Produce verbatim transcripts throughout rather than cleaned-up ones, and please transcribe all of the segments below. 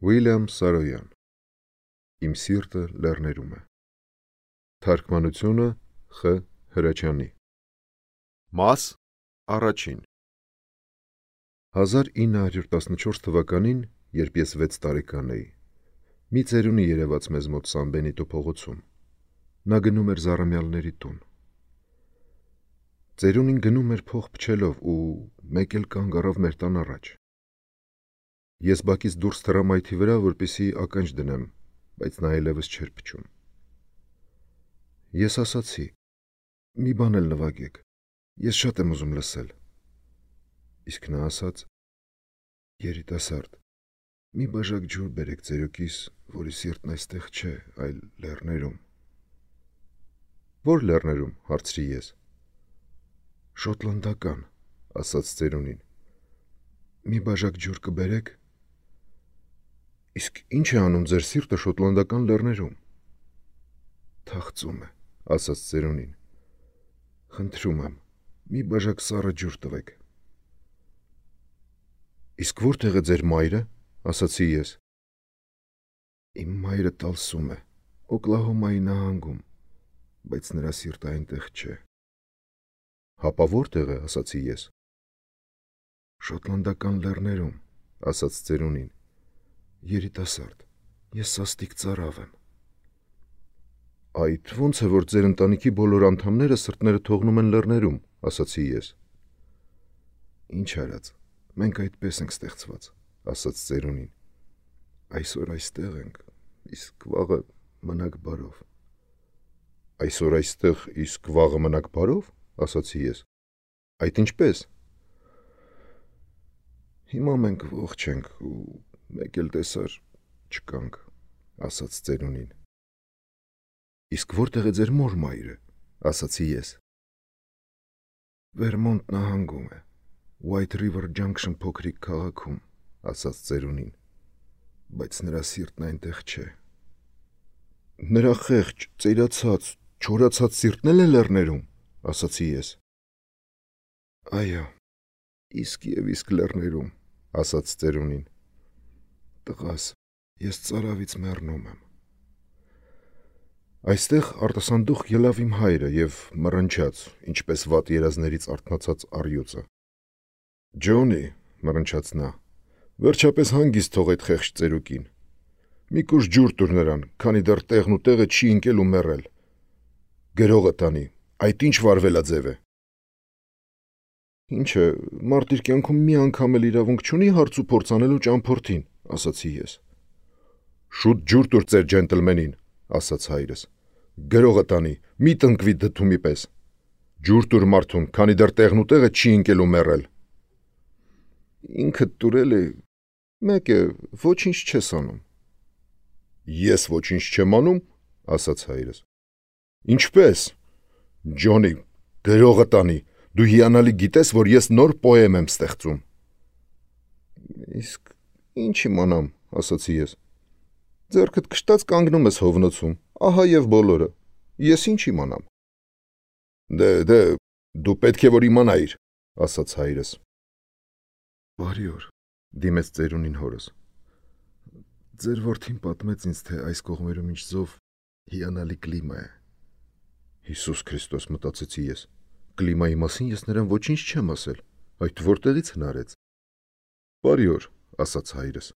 Ուիլյամ Սարոյան Իմ սիրտը լեռներում է Թարգմանությունը Խ. Հրաչյանի Մաս առաջին հազար ինը հարյուր տասնչորս թվականին, երբ ես վեց տարեկան էի, մի ծերունի երևաց մեզ մոտ Սան Բենիտո փողոցում։ Նա գնում էր Զառամյալների տուն։ Ծերունին գնում էր փող փչելով ու մեկ էլ կանգ առավ մեր տան առաջ։ Ես բակից դուրս թռա մայթի վրա, որպեսզի ականջ դնեմ, բայց նա այլևս չէր փչում։ Ես ասացի. մի բան էլ նվագեք, ես շատ եմ ուզում լսել։ Իսկ նա ասաց. երիտասարդ, մի բաժակ ջուր բերեք ծերուկիս, որի սիրտն այստեղ չէ, այլ լեռներում։ Ո՞ր լեռներում, հարցրի ես։ Շոտլանդական, ասաց ծերունին։ Մի բաժակ ջուր կբերեք։ Իսկ ինչ է անում ձեր սիրտը շոտլանդական լեռներում։ Թախծում է, ասաց ծերունին։ Խնդրում եմ, մի բաժակ սառը ջուր տվեք։ Իսկ որտեղ է ձեր մայրը, ասացի ես։ Իմ մայրը Տալսում է, Օկլահոմայի նահանգում, բայց նրա սիրտը այնտեղ չէ։ Հապա որտեղ է, ասացի ես։ Շոտլանդական լեռներում, ասաց ծերունին։ Երիտասարդ, ես սաստիկ ծարավ եմ։ Այդ ո՞նց է, որ ձեր ընտանիքի բոլոր անդամները սրտները թողնում են լեռներում, ասացի ես։ Ինչ արած, մենք այդպես ենք ստեղծված, ասաց ծերունին։ Այսօր այստեղ ենք, իսկ վաղը մնաք բարով։ Այսօր այստեղ, իսկ վաղը մնաք բարով, ասացի ես։ Այդ ինչպես։ Հիմա մենք ողջ ենք ու մեկ էլ տեսար չկանք, ասաց ծերունին։ Իսկ որտեղ է ձեր մոր մայրը, ասացի ես։ Վերմոնտ նահանգում է, White River Junction փոքրիկ քաղաքում, ասաց ծերունին, բայց նրա սիրտն այնտեղ չէ։ Նրա խեղճ, ծերացած, չորացած սիրտն էլ է լեռներում, ասացի ես։ Այո, իսկ և իսկ լեռներում, ասաց ծերունին։ Տղաս, ես ծարավից մեռնում եմ։ Այստեղ արտասանդուխ ելավ իմ հայրը և մռնչաց, ինչպես վատ երազներից արթնացած առյուծը։ Ջոնի, մռնչաց նա, վերջապես հանգիստ թող այդ խեղճ ծերուկին։ Մի կուժ ջուր տուր նրան, քանի դեռ տեղն ու տեղը չի ընկել ու մեռել։ Գրողը տանի, այդ ինչ վարվելաձև է։ Ինչ է, մարդ իր կյանքում մի անգամ էլ իրավունք չունի հարց ու փորձ անելու ճամփորդին, ասացի ես։ Շուտ ջուր տուր ձեր ջենտլմենին, ասաց հայրս։ Գրողը տանի, մի տնկվի դդումի պես։ Ջուր տուր մարդուն, քանի դեռ տեղն ու տեղը չի ընկել ու մեռել։ Ինքդ տուրել է, մեկ է, ոչինչ չես անում։ Ես ոչինչ չեմ անում, ասաց հայրս։ Ինչպես։ Ջոնի, գրողը տանի, դու հիանալի գիտես, որ ես նոր պոեմ եմ ստեղծում։ Իսկ ինչ իմանամ, ասացի ես։ Ձեռքդ քշտած կանգնում ես հովնոցում, ահա և բոլորը, ես ինչ իմանամ։ Դե, դե, դու պետք է որ իմանայիր, ասաց հայրս։ Բարի օր, դիմեց ծերունին հորս։ Ձեր որդին պատմեց ինձ, թե այս կողմերում ինչ զով հիանալի կլիմա է։ Հիսուս Քրիստոս, մտածեցի ես, կլիմայի մասին ես նրան ոչինչ չեմ ասել, այդ որտեղից հնարեց։ Բարի օր, ասաց հայրս։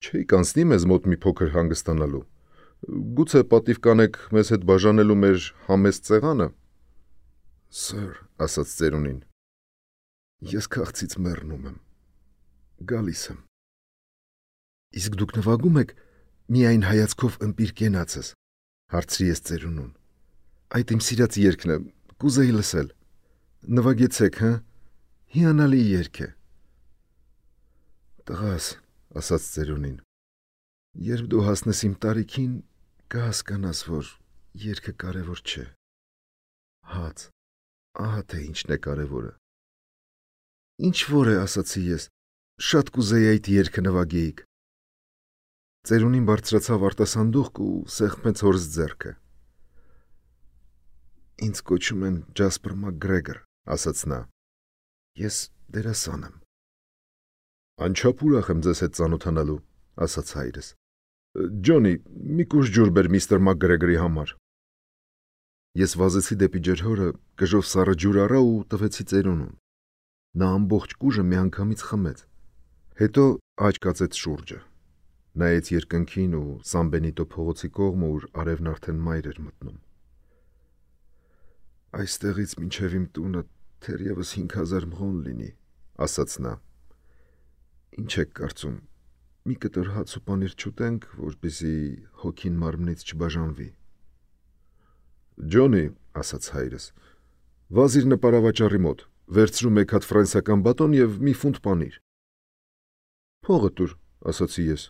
Չէիք անցնի մեզ մոտ մի փոքր հանգստանալու։ Գուցե պատիվ կանեք մեզ հետ բաժանելու մեր համեստ սեղանը։ Սըր, ասաց ծերունին։ Ես քաղցից մեռնում եմ։ Գալիս եմ։ Իսկ դուք նվագում եք միայն հայացքով ըմպիր կենացս, հարցրի ես ծերունուն։ Այդ իմ սիրած երգն է, կուզեի լսել։ Նվագեցեք, հա։ Հիանալի երգ է։ Տղաս, ասաց ծերունին, երբ դու հասնես իմ տարիքին, կհասկանաս, որ երգը կարևոր չէ։ Հաց, ահա թե ինչն է կարևորը։ Ինչ որ է, ասացի ես, շատ կուզեի այդ երգը նվագեիք։ Ծերունին բարձրացավ արտասանդուղք ու սեղմեց հորս ձեռքը։ Ինձ կոչում են Ջասպր Մակգրեգոր, ասաց նա։ Ես դերասան եմ։ Անչափ ուրախ եմ ձեզ հետ ծանոթանալու, ասաց հայրս։ Ջոնի, մի կուշ ջուր բեր միստր Մակգրեգորի համար։ Ես վազեցի դեպի ջրհորը, կժով սառը ջուր առա ու տվեցի ծերունուն։ Նա ամբողջ կուժը միանգամից խմեց։ Հետո աջ կացեց շուրջը։ Նայեց երկնքին ու Սան Բենիտո փողոցի կողմը, ուր արևն արդեն մայր էր մտնում։ Այստեղից մինչև իմ տունը թերևս հինգ հազար մղոն լինի, ասաց նա։ Ինչ եք կարծում, մի կտոր հաց ու պանիր չուտենք, որպեսզի հոգին մարմնից չբաժանվի։ Ջոնի, ասաց հայրս, վազ իր նպարավաճառի մոտ, վերցրու մեկ հատ ֆրանսիական բատոն և մի ֆունտ պանիր։ Փողը տուր, ասացի ես։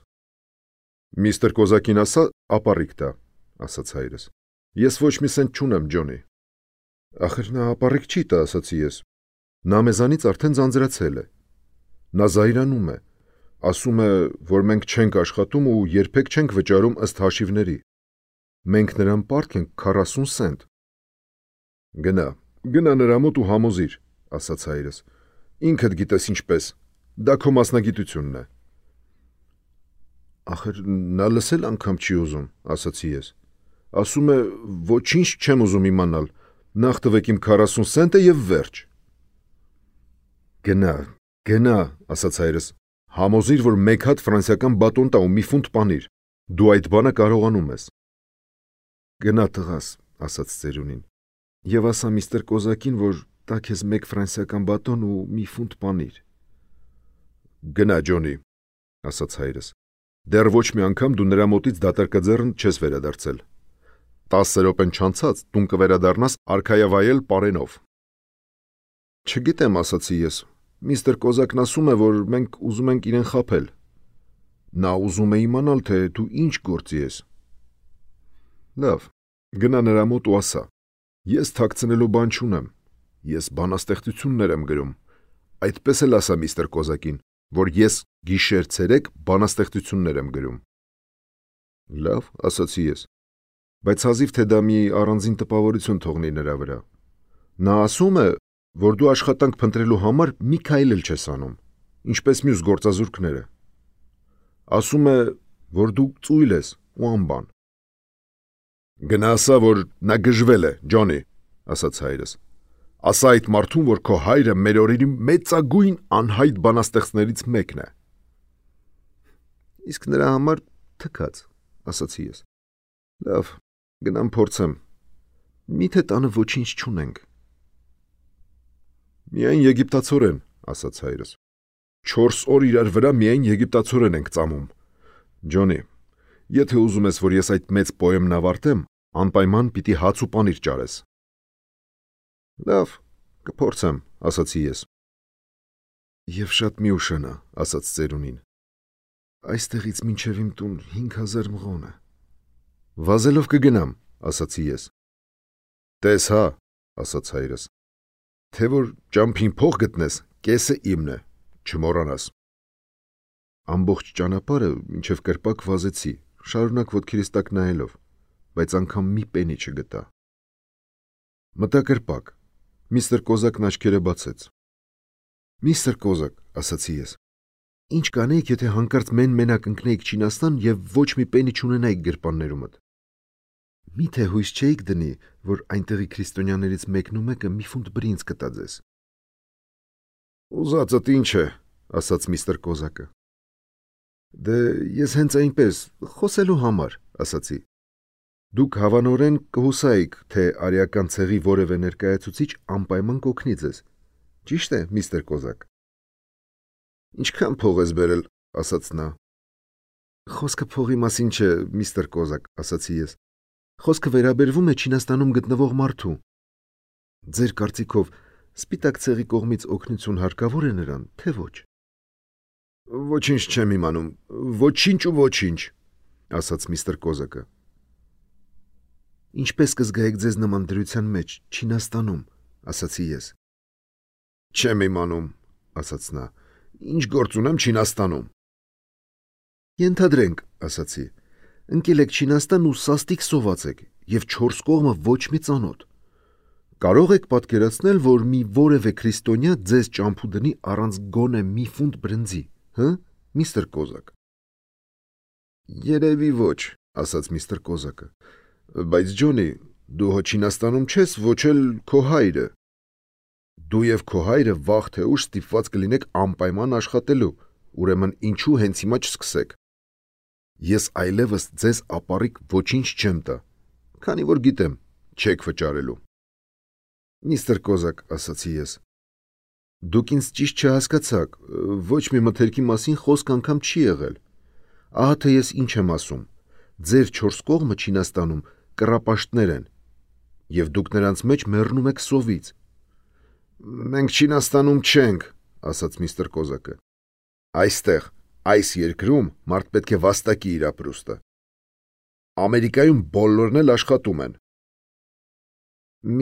Միստր Կոզակին ասա, ապառիկ տա, ասաց հայրս։ Ես ոչ մի սենտ չունեմ, Ջոնի։ Ախր նա ապառիկ չի տա, ասացի ես։ Նա մեզանից արդեն ձանձրացել է։ Նա զայրանում է, ասում է, որ մենք չենք աշխատում ու երբեք չենք վճարում ըստ հաշիվների։ Մենք նրան պարտք ենք քառասուն սենտ։ Գնա, գնա նրա մոտ ու համոզիր, ասաց հայրս։ Ինքդ գիտես ինչպես, դա քո մասնագիտությունն է։ Ախր նա լսել անգամ չի ուզում, ասացի ես։ Ասում է, ոչինչ չեմ ուզում իմանալ, նախ տվեք իմ քառասուն սենտը և վերջ։ Գնա, գնա, ասաց հայրս, համոզիր, որ մեկ հատ ֆրանսիական բատոն տա ու մի ֆունտ պանիր, դու այդ բանը կարողանում ես։ Գնա տղաս, ասաց ծերունին, և ասա միստր Կոզակին, որ տա քեզ մեկ ֆրանսիական բատոն ու մի ֆունտ պանիր։ Գնա, Ջոնի, ասաց հայրս, դեռ ոչ մի անգամ դու նրա մոտից դատարկաձեռն չես վերադարձել։ Տասը րոպեն չանցած տուն կվերադառնաս արքայավայել պարենով։ Չգիտեմ, ասացի ես, միստր Կոզակն ասում է, որ մենք ուզում ենք իրեն խաբել։ Նա ուզում է իմանալ, թե դու ինչ գործի ես։ Լավ, գնա նրա մոտ ու ասա. Ես թաքցնելու բան չունեմ, ես բանաստեղծություններ եմ գրում, այդպես էլ ասա միստր Կոզակին, որ ես գիշեր-ցերեկ բանաստեղծություններ եմ գրում։ Լավ, ասացի ես, բայց հազիվ թե դա մի առանձին տպավորություն թողնի նրա վրա։ Նա ասում է, որ դու աշխատանք փնտրելու համար մի քայլ էլ չես անում, ինչպես մյուս գործազուրկները։ Ասում է, որ դու ծույլ ես ու անբան։ Գնա ասա, որ նա գժվել է, Ջոնի, ասաց հայրս։ Ասա այդ մարդուն, որ քո հայրը մեր օրերի մեծագույն անհայտ բանաստեղծներից մեկն է։ Իսկ նրա համար թքած, ասացի ես։ Լավ, գնամ փորձեմ։ Միթե տանը ոչինչ չունենք։ Միայն եգիպտացորեն, ասաց հայրս։ Չորս օր իրար վրա միայն եգիպտացորեն ենք ծամում։ Ջոնի, եթե ուզում ես, որ ես այդ մեծ պոեմն ավարտեմ, անպայման պիտի հաց ու պանիր ճարես։ Լավ, կփորձեմ, ասացի ես։ Եվ շատ մի ուշանա, ասաց ծերունին։ Այստեղից մինչև իմ տուն հինգ հազար մղոն է։ Վազելով կգնամ, ասացի ես։ Տես հա, ասաց հայրս։ Թե որ ճամփին փող գտնես, կեսը իմն է, չմոռանաս։ Ամբողջ ճանապարհը մինչև կրպակ վազեցի, շարունակ ոտքերիս տակ նայելով, բայց անգամ մի պենի չգտա։ Մտա կրպակ, միստր Կոզակն աչքերը բացեց։ Միստր Կոզակ, ասացի ես, ինչ կանեիք, եթե հանկարծ մեն-մենակ ընկնեիք Չինաստան և ոչ մի պենի չունենայիք գրպաններումդ։ Միթե հույս չէիք դնի, որ այնտեղի քրիստոնյաներից մեկն ու մեկը մի ֆունտ բրինձ կտա ձեզ։ Ուզածդ ինչ է, ասաց միստր Կոզակը։ Դե ես հենց այնպես, խոսելու համար, ասացի։ Դուք հավանորեն կհուսայիք, թե արիական ցեղի որևէ ներկայացուցիչ անպայման կօգնի ձեզ։ Ճիշտ է, միստր Կոզակ։ Ինչքան փող ես բերել, ասաց նա։ Խոսքը փողի մասին չէ, միստր Կոզակ, ասացի ես։ Խոսքը վերաբերվում է Չինաստանում գտնվող մարդու։ Ձեր կարծիքով սպիտակ ցեղի կողմից օգնություն հարկավոր է նրան, թե ոչ։ Ոչինչ չեմ իմանում, ոչինչ ու ոչինչ, ասաց միստր Կոզակը։ Ինչպես կզգայիք ձեզ նման դրության մեջ Չինաստանում, ասացի ես։ Չեմ իմանում, ասաց նա, ինչ գործ ունեմ Չինաստանում։ Ենթադրենք, ասացի, ընկել եք Չինաստան ու սաստիկ սոված եք և չորս կողմը ոչ մի ծանոթ։ Կարող եք պատկերացնել, որ մի որևէ քրիստոնյա ձեզ ճամփու դնի առանց գոնե մի ֆունտ բրնձի, հը, միստր Կոզակ։ Երևի ոչ, ասաց միստր Կոզակը։ Բայց Ջոնի, դու հո Չինաստանում չես, ոչ էլ քո հայրը։ Դու եւ քո հայրը վաղ թե ուշ ստիպված կլինեք անպայման աշխատելու, ուրեմն ինչու հենց հիմա չսկսեք։ Ես այլևս ձեզ ապառիկ ոչինչ չեմ տա, քանի որ գիտեմ, չեք վճարելու։ Միստր Կոզակ, ասացի ես, դուք ինձ ճիշտ չհասկացաք, ոչ մի մթերքի մասին խոսք անգամ չի եղել։ Ահա թե ես ինչ եմ ասում, ձեր չորս կողմը Չինաստանում կռապաշտներ են, եւ դուք նրանց մեջ մեռնում եք սովից։ Մենք Չինաստանում չենք, ասաց միստր Կոզակը։ Այստեղ, այս երկրում մարդ պետք է վաստակի իր ապրուստը։ Ամերիկայում բոլորն էլ աշխատում են։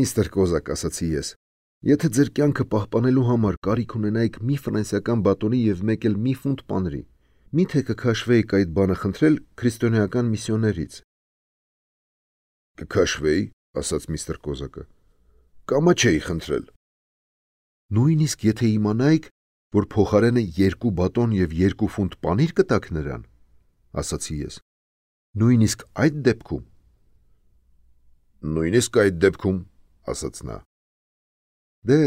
Միստր Կոզակ, ասացի ես, եթե ձեր կյանքը պահպանելու համար կարիք ունենայիք մի ֆրանսիական բատոնի եւ մեկ էլ մի ֆունտ պանրի, միթե կքաշվեիք այդ բանը խնդրել քրիստոնեական միսիոներից։ Կքաշվեի, ասաց միստր Կոզակը, կամա չէի խնդրել։ Նույնիսկ եթե իմանայիք, որ փոխարենը երկու բատոն եւ երկու ֆունտ պանիր կտաք նրան, ասացի ես։ Նույնիսկ այդ դեպքում։ Նույնիսկ այդ դեպքում, ասաց նա։ Դե,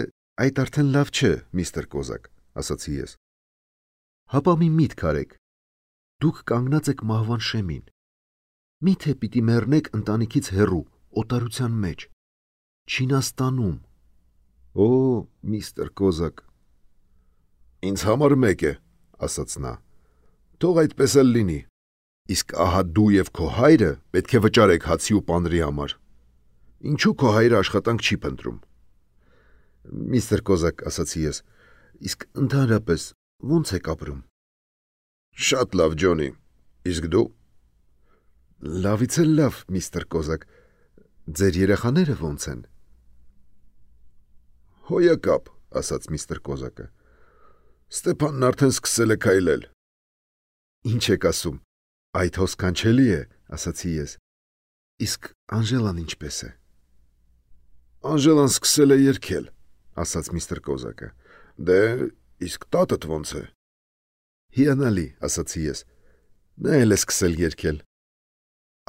այդ արդեն լավ չէ, միստր Կոզակ, ասացի ես։ Հապա մի միտք արեք։ Դուք կանգնած եք մահվան շեմին։ Միթե պիտի մեռնեք ընտանիքից հեռու, օտարության մեջ, Չինաստանում։ Օ, միստր Կոզակ։ Ինձ համար մեկ է, ասաց նա։ Թող այդպես էլ լինի։ Իսկ ահա դու եւ քո հայրը պետք է վճարեք հացի ու պանրի համար։ Ինչու քո հայրը աշխատանք չի փնտրում։ Միստր Կոզակ, ասացի ես, իսկ ընդհանրապես ո՞նց եք ապրում։ Շատ լավ, Ջոնի։ Իսկ դու։ Լավից էլ լավ, միստր Կոզակ։ Ձեր երեխաները ո՞նց են։ Հոյակապ, ասաց միստր Կոզակը։ Ստեփանն արդեն սկսել է քայլել։ Ինչ եք ասում։ Այդ հո սքանչելի է, ասացի ես։ Իսկ Անժելան ինչպես է։ Անժելան սկսել է երգել, ասաց միստր Կոզակը։ Դե, իսկ տատդ ո՞նց է։ Հիանալի, ասացի ես։ Նա էլ է սկսել երգել։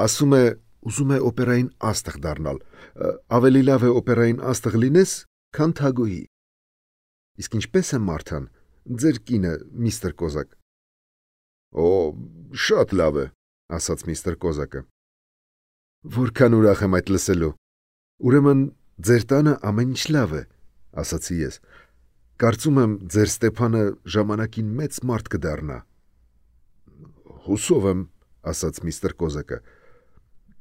Ասում է, ուզում է օպերային աստղ դառնալ։ Ավելի լավ է օպերային աստղ լինես, քան թագուհի։ Իսկ ինչպես է Մարթան, ձեր կինը, միստր Կոզակ։ Օ, շատ լավ է, ասաց միստր Կոզակը։ Որքան ուրախ եմ այդ լսելու։ Ուրեմն ձեր տանը ամեն ինչ լավ է, ասացի ես։ Կարծում եմ ձեր Ստեփանը ժամանակին մեծ մարդ կդառնա։ Հուսով եմ, ասաց միստր Կոզակը։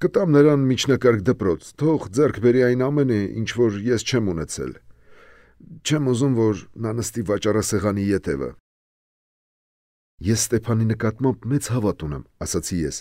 Կտամ նրան միջնակարգ դպրոց, թող ձեռք բերի այն ամենը, ինչ որ ես չեմ ունեցել։ Չեմ ուզում, որ նա նստի վաճառասեղանի ետևը։ Ես Ստեփանի նկատմամբ մեծ հավատ ունեմ, ասացի ես։